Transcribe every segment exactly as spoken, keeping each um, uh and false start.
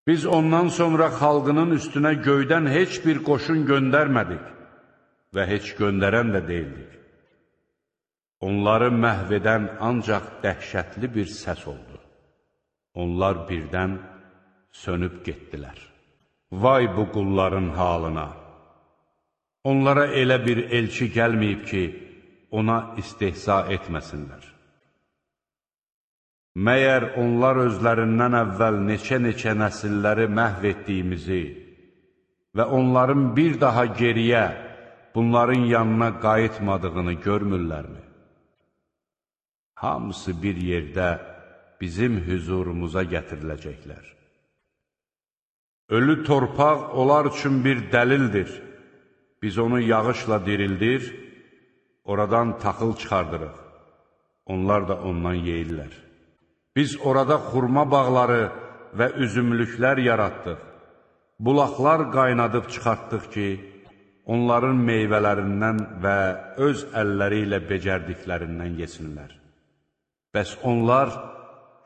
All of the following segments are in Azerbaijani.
Biz ondan sonra xalqının üstünə göydən heç bir qoşun göndərmədik və heç göndərən də deyildik. Onları məhv edən ancaq dəhşətli bir səs oldu. Onlar birdən sönüb getdilər. Vay bu qulların halına! Onlara elə bir elçi gəlməyib ki, ona istehza etməsinlər. Məyər onlar özlərindən əvvəl neçə-neçə nəsilləri məhv etdiyimizi və onların bir daha geriyə, bunların yanına qayıtmadığını görmürlərmi? Hamısı bir yerdə bizim hüzurumuza gətiriləcəklər. Ölü torpaq onlar üçün bir dəlildir. Biz onu yağışla dirildir, oradan taxıl çıxardırıq. Onlar da ondan yeyirlər. Biz orada xurma bağları və üzümlüklər yaratdıq. Bulaqlar qaynadıb çıxartdıq ki, onların meyvələrindən və öz əlləri ilə becərdiklərindən yesinlər. Bəs onlar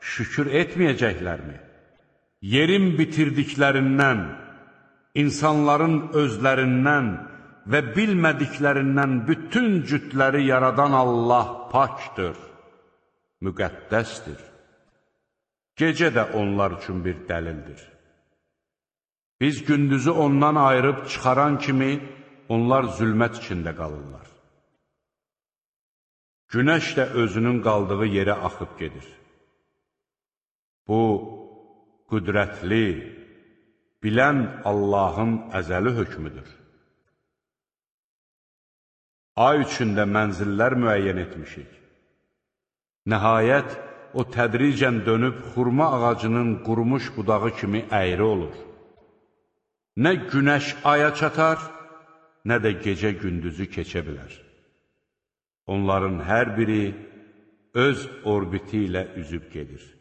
şükür etməyəcəklərmi? Yerin bitirdiklərindən, insanların özlərindən və bilmədiklərindən bütün cütləri yaradan Allah pakdır, müqəddəsdir. Gecə də onlar üçün bir dəlildir. Biz gündüzü ondan ayırıb çıxaran kimi, onlar zülmət içində qalırlar. Günəş də özünün qaldığı yerə axıb gedir. Bu, qüdrətli, bilən Allahın əzəli hökmüdür. Ay üçündə mənzillər müəyyən etmişik. Nəhayət, o tədricən dönüb xurma ağacının qurumuş budağı kimi əyri olur. Nə günəş aya çatar, nə də gecə gündüzü keçə bilər. Onların hər biri öz orbiti ilə üzüb gedir.